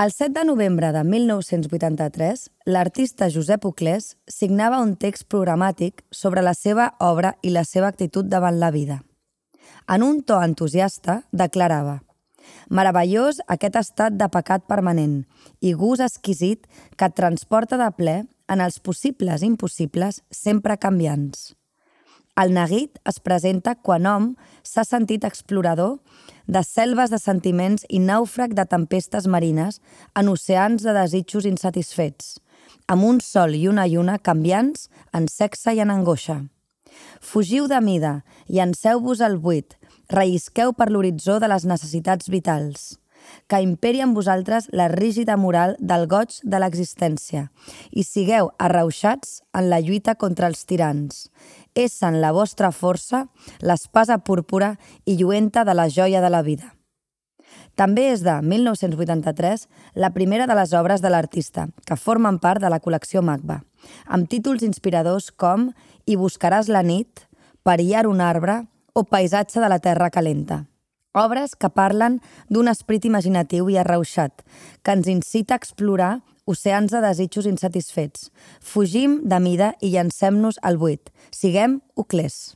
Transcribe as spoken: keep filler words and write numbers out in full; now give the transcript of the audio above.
El set de novembre de mil nou-cents vuitanta-tres, l'artista Josep Uclés signava un text programàtic sobre la seva obra i la seva actitud davant la vida. En un to entusiasta, declarava: «Meravellós aquest estat de pecat permanent i gust exquisit que et transporta de ple en els possibles i impossibles sempre canviants. El neguit es presenta quan hom s'ha sentit explorador de selves de sentiments i nàufrag de tempestes marines en oceans de desitjos insatisfets, amb un sol i una lluna canviants en sexe i en angoixa. Fugiu de mida i enseu-vos al buit, rellisqueu per l'horitzó de les necessitats vitals. Que imperi en vosaltres la rígida moral del goig de l'existència i sigueu arrauxats en la lluita contra els tirans. Essen la vostra força, l'espasa púrpura i lluenta de la joia de la vida». També és de mil nou-cents vuitanta-tres la primera de les obres de l'artista, que formen part de la col·lecció Magba, amb títols inspiradors com «Hi buscaràs la nit», «Perillar un arbre» o «Paisatge de la terra calenta». Obres que parlen d'un esperit imaginatiu i arrauxat, que ens incita a explorar oceans de desitjos insatisfets. Fugim de mida i llancem-nos al buit. Siguem Uclés.